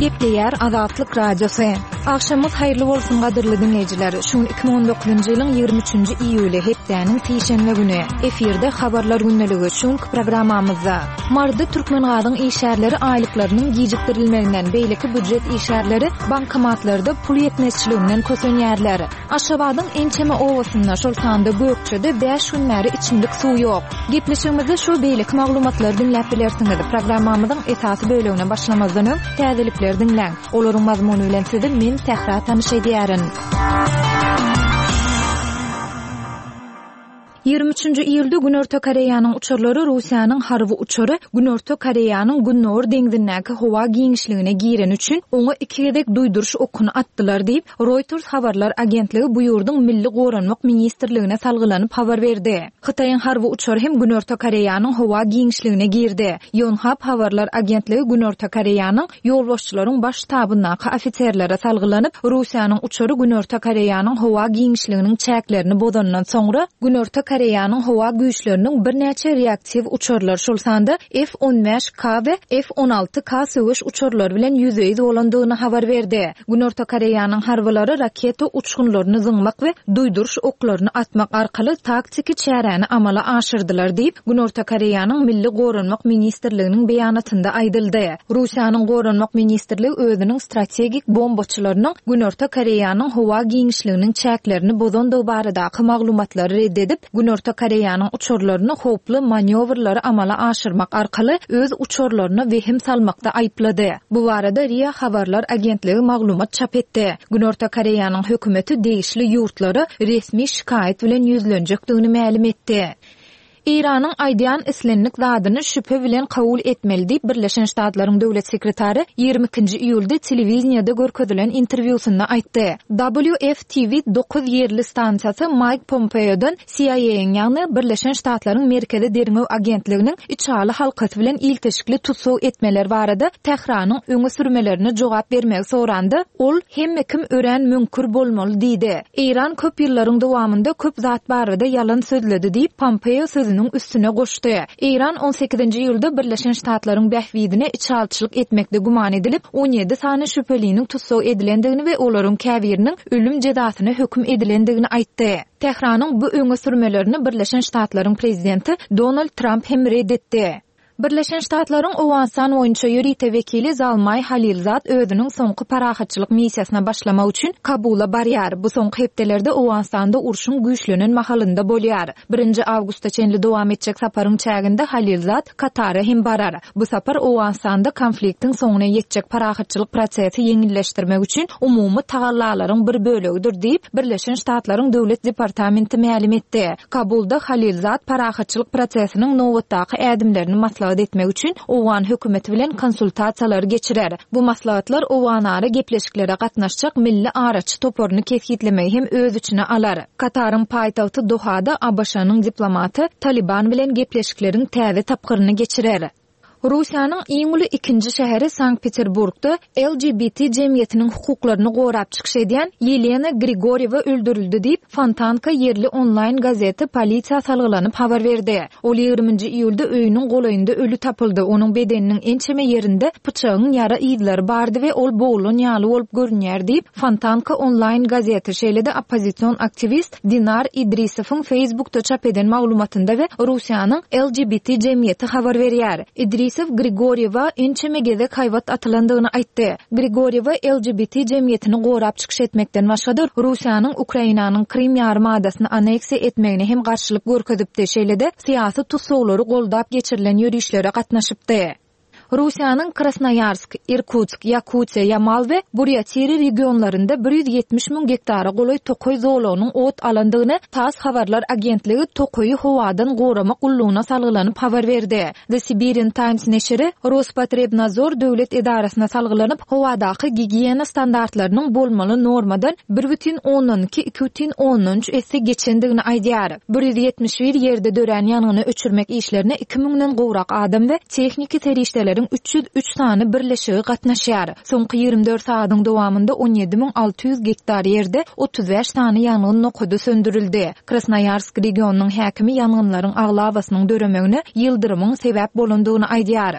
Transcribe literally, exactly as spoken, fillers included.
Gepleýär Azatlyk Radiosy. Agşamyňyz haýyrly bolsun gadyrly diňleýjiler. Şu gün iki müň on dokuzynjy ýylyň ýigrimi üçünji iýuly, hepdäniň sişenbe güni. Efirde Habarlar gündeligi. Şu günki programmamyzda Maryda Türkmengazyň işgärleri aýlyklarynyň gijikdirilmeginden, beýleki býujet işgärleri bankomatlarda pul ýetmezçiliginden kösenýärler. Aşgabadyň ençeme obasynda, şol sanda Gökjede bäş gün bäri içimlik suw ýok. Gepleşigimizde şu beýleki maglumatlary diňläp bilersiňiz. Programmamyzyň esasy bölegine başlamazdan öň täzelikleri diňläň. Olaryň mazmuny bilen sizi men Sähra tanyş edýärin. Ýigrimi üçünji iýulda Günorta Koreýanyň uçarlary Russiýanyň harby uçary Günorta Koreýanyň Gündogar deňzindäki howa giňişligine gireni üçin oňa iki gezek duýduryş okuny atdylar diýip, Reuters habarlar agentligi bu ýurduň Milli goranmak ministrligine salgylanyp habar berdi. Hytaýyň harby uçary hem Günorta Koreýanyň howa giňişligine girdi. Yonhap habarlar agentligi Günorta Koreýanyň ýolbaşçylaryň baş ştabyndaky ofiserlere salgylanyp, Russiýanyň uçary Günorta Koreýanyň howa giňişliginiň çäklerini bozandan soňra, Günorta Koreýanyň howa güýçleriniň birnäçe reaktiw uçarlar, şol sanda F on bäş K we F on alty K söweş uçarlary bilen ýüzbe-ýüz bolandygyny habar berdi. Günorta Koreýanyň harbylary raketa uçgunlaryny zyňmak we duýduryş oklaryny atmak arkaly taktiki çäräni amala aşyrdylar diýip, Günorta Koreýanyň Milli Goranmak ministrliginiň beýanatynda aýdyldy. Russiýanyň Goranmak ministrligi özüniň strategik bombaçylarynyň Günorta Koreýanyň howa giňişliginiň çäklerini bozandygy baradaky maglumatlary red edip, Günorta Koreýanyň uçarlaryny howply manýowrlary amala aşyrmak arkaly öz uçarlaryna wehim salmakda aýyplady. Bu barada R I A habarlar agentligi maglumat çap etdi. Günorta Koreýanyň hökümeti degişli ýurtlara resmi şikaýat bilen ýüzlenjekdigini mälim etdi. Eýranyň aýdýan islendik zadyny şübhe bilen kabul etmeli diýip Birleşen Ştatlaryň döwlet sekretary ýigrimi ikinji iýulda telewideniýede görkezilen interwýusynda aýtdy. W F T V dokuz ýerli stansiýasy Mike Pompeodan C I A-iň, ýagny Birleşen Ştatlaryň Merkezi Derňew Agentliginiň içaly halkasy bilen ilteşikli tussag etmeler barada Tähranyň öňe sürmelerine jogap bermegi soranda, ol hemme kim örän müňkür bolmaly diýdi. Eýran köp ýyllaryň dowamynda köp zat barada ýalan sözledi diýip Pompeo sözüniň üstüne goşdy. Eýran on sekizinji ýylda Birleşen Ştatlaryň bähbidine içalçylyk etmekde güman edilip, on ýedi sany şübheliniň tussag edilendigini we olaryň käbiriniň ölüm jezasyna höküm edilendigini aýtdy. Tähranyň bu öňe sürmelerini Birleşen Ştatlaryň prezidenti Donald Trump hem red etdi. Birleşen Ştatlaryň Owganystan boýunça ýörite wekili Zalmay Halilzad özüniň soňky parahatçylyk missiýasyna başlamak üçin Kabula barýar. Bu soňky hepdelerde Owganystanda urşuň güýçlenen mahalynda bolýar. Birinji awgusta çenli dowam etjek saparyň çäginde Halilzad Katara hem barar. Bu sapar Owganystanda konfliktiň soňuna ýetjek parahatçylyk prosesi ýeňilleşdirmek üçin umumy tagallalaryň bir bölegidir diýip Birleşen Ştatlaryň Döwlet Departamenti mälim etdi. Kabulda Halilzad parahatçylyk prosesiniň nobatdaky ädimlerini maslahat etmek üçin Owgan hökümeti bilen konsultasiýalary geçirer. Bu maslahatlar Owganara gepleşiklere gatnaşjak milli araçy toparyny kesgitlemegi hem öz içine alar. Kataryň paýtagty Dohada A B Ş-nyň diplomaty Taliban bilen gepleşikleriň täze tapgyryny geçirer. Russiýanyň iň uly ikinji şäheri Sankt-Peterburgda L G B T jemgyýetiniň hukuklaryny gorap çykyş edýän Ýelena Grigorýewa öldürildi diýip, Fontanka ýerli onlaýn gazeti polisiýa salgylanyp habar berdi. Ol ýigriminji iýulda öýüniň golaýynda ölü tapyldy. Onuň bedeniniň ençeme ýerinde pyçagyň ýara yzlary bardy we ol boglan ýaly bolup görünýär diýip, Fontanka onlaýn gazeti, şeýle-de oppozision aktiwist Dinar Idrisowyň Facebookda çap eden maglumatynda we Russiýanyň L G B T jemgyýeti habar berýär. Idrisow Grigorýewa ençeme gezek haýbat atylandygyny aýtdy. Grigorýewa L G B T jemgyýetini gorap çykyş etmekden başga-da Russiýanyň Ukrainanyň Krym ýarym adasyny aneksiýa etmegine hem garşylyk görkezipdi. Şeýle-de syýasy tutsaglary goldap geçirilen ýörişlere gatnaşypdy. Russiýanyň Krasnoýarsk, Irkutsk, Ýakutiýa, Ýamal we Burýatiri regionlarynda bir ýüz ýetmiş müň gektara golaý tokaý zolagynyň ot alandygyny TASS habarlar agentligi tokaýy howadan goramak gullugyna salgylanyp habar berdi. The Siberian Times neşiri Rospotrebnadzor döwlet edarasyna salgylanyp howadaky gigiýena standartlarynyň bolmaly normadan bir bütin ondan iki, iki bütin ondan üç esse geçendigini aýdýar. Bir ýüz ýetmiş bir ýerde dörän ýangyny öçürmek işlerine iki müňden gowrak adam we tehniki serişdeleriň üç ýüz üç sany birleşigi gatnaşýar. Soňky ýigrimi dört sagadyň dowamynda on ýedi müň alty ýüz gektar ýerde otuz bäş sany ýangyn nokady söndürildi. Krasnoýarsk regionynyň häkimi ýangynlaryň aglabasynyň döremegine ýyldyrymyň sebäp bolandygyny aýdýar.